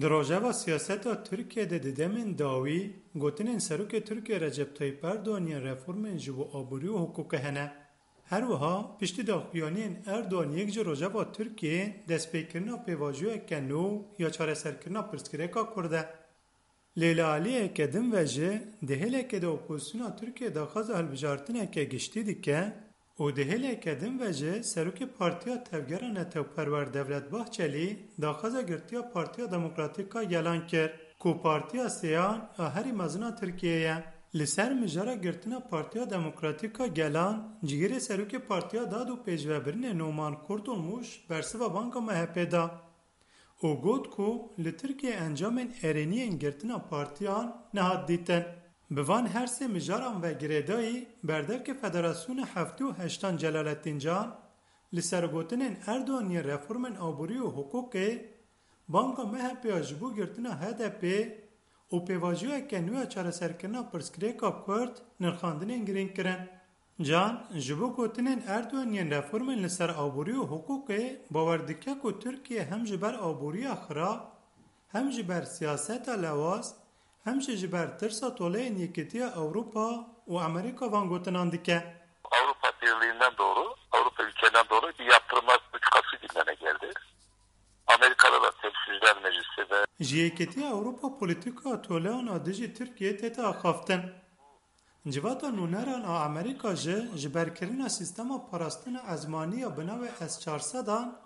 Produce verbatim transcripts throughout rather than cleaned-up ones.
Di rojeva siyaseta Tirkiyê de di demên dawî gotinên Serokê Tirkiyê Recep Tayyip Erdogan yên reformên ji bo aborî û hiqûqê hene. Her wiha piştî daxuyaniyên Erdogan yek ji rojeva Tirkiyê destpêkirina pêvajoyeke nû ya çareserkirina pirsgirêka Kurd e. Lê li aliyeke din ve jî di hêlekê de opozisyona Tirkiyê daxwaza hilbijartineke giştî dike û di hêleke din ve jî serokê Partiya Tevgera Netewperwer Devlet Bahçelî daxwaza girtiya Partiya Demokratîk a Gelan kir, ku partiya sêyan a herî mezin a Tirkiyeyê ye. Li ser mijara girtina Partiya Demokratîk a Gelan, cihêrê serokê Partiya Dad û Pêşvebirinê Noman Kurtulmuş bersiva banga M H P da. û got ku li Tirkiyê encamên erêniyên girtina partiyan nehat dîtin. Bi van her sê mijaran ve girêdayî berdevkê Federasyona heftê û heştan Celalettin Can li ser gotinên Erdogan yên reformên aborî û hiqûqê banga M H P ya ji bo girtina H D P û pêvajoyeke nû ya çareserkirina pirsgirêka Kurd nirxandinên girîng kirin. Can, ji bo gotinên Erdogan yên reformên li ser aborî û hiqûqê bawer dike ku Tirkiye hem ji ber aboriya xirab, hem ji ber siyaseta lewaz, hem jî ji ber tirsa toleyên Yekîtiya Ewropa û Amerîka van gotinan dike. Avrupa Birliği'nden doğru, Avrupa ülkelerinden doğru bir yaptırımlar politikası gündeme geldi. Amerika'da da Temsilciler Meclisi ve Ji Yekîtiya Ewropa polîtîka toleyan a dijî Tirkiyê tête axaftin. Civata nûneran a Amerîka jî ji berkirina sîstema parastina ezmanî ya bi navê S çar sedan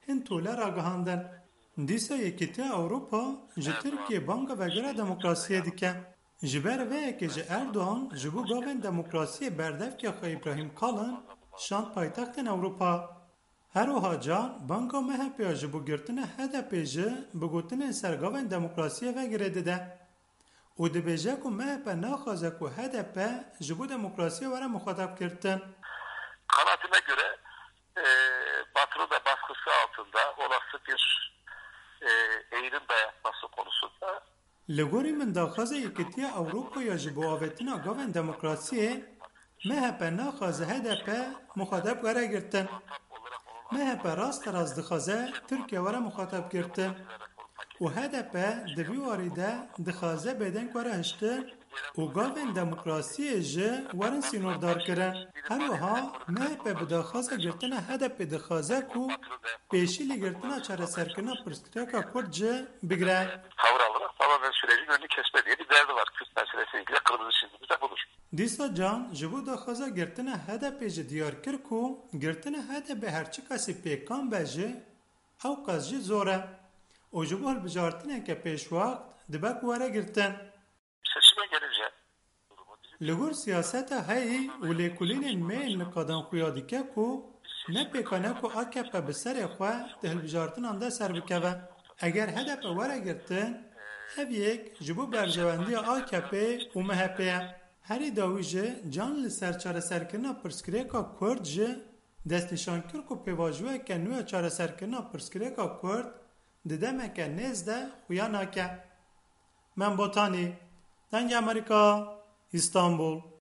hin tole ragihandin. Dîsa Yekîtiya Ewropa ji Tirkiyê banga vegera demokrasiyê dike. Ji ber vê yekê jî Erdogan ji bo gavên demokrasiyê berdevkê xwe Îbrahîm Kalin şand paytextên Ewropa. Her wiha Can banga M H P ya ji bo girtina H D P jî bi gotinên ser gavên demokrasiyê ve girê dide û dibêje ku M H P naxwaze ku H D P ji bo demokrasiyê were muxatab girtin. Kanaatime göre, e, Batı'nın da baskısı altında olası bir, e, eğilim dayatması konusunda Li gorî min daxwaza Yekîtiya Ewropa ya ji bo avêtina gavên demokrasiyê, M H P naxwaze H D P muxatab were girtin. M H P rasterast dixwaze Tirkiye were muxatab girtin. Û H D P di vî warî de dixwaze bêdeng were hiştin û gavên demokrasiyê jî werin sînordar kirin. Her wiha M H P bi daxwaza girtina H D P dixwaze ku pêşî li girtina çareserkirina pirsgirêka Kurd jî bigire. Tavır alarak tamamen sürecin önünü kesme diye bir derdi var. Kürt meselesiyle ilgili kırmızı çizgimiz de budur. Dîsa Can ji bo daxwaza girtina H D P jî diyar kir ku girtina H D P her çi kesî pêkan be jî, ew qas jî zor e û ji bo hilbijartineke pêşwext dibe ku were girtin. Seçime gelince Li gor siyaseta heyî û lêkolînên me yên niqadan xuya dike ku ne pêkan e ku A K P bi serê xwe di hilbijartinan de ser bikeve. Eger H D P were girtin, ev yek ji bo berjewendiya A K P û M H P ye. Herî dawî jî Can li ser çareserkirina pirsgirêka Kurd jî destnîşan kir ku pêvajoyeke nû ya çareserkirina pirsgirêka Kurd di demeke nêz de xuya nake. Mem Botanî, Dengê Amerîka, Îstanbul.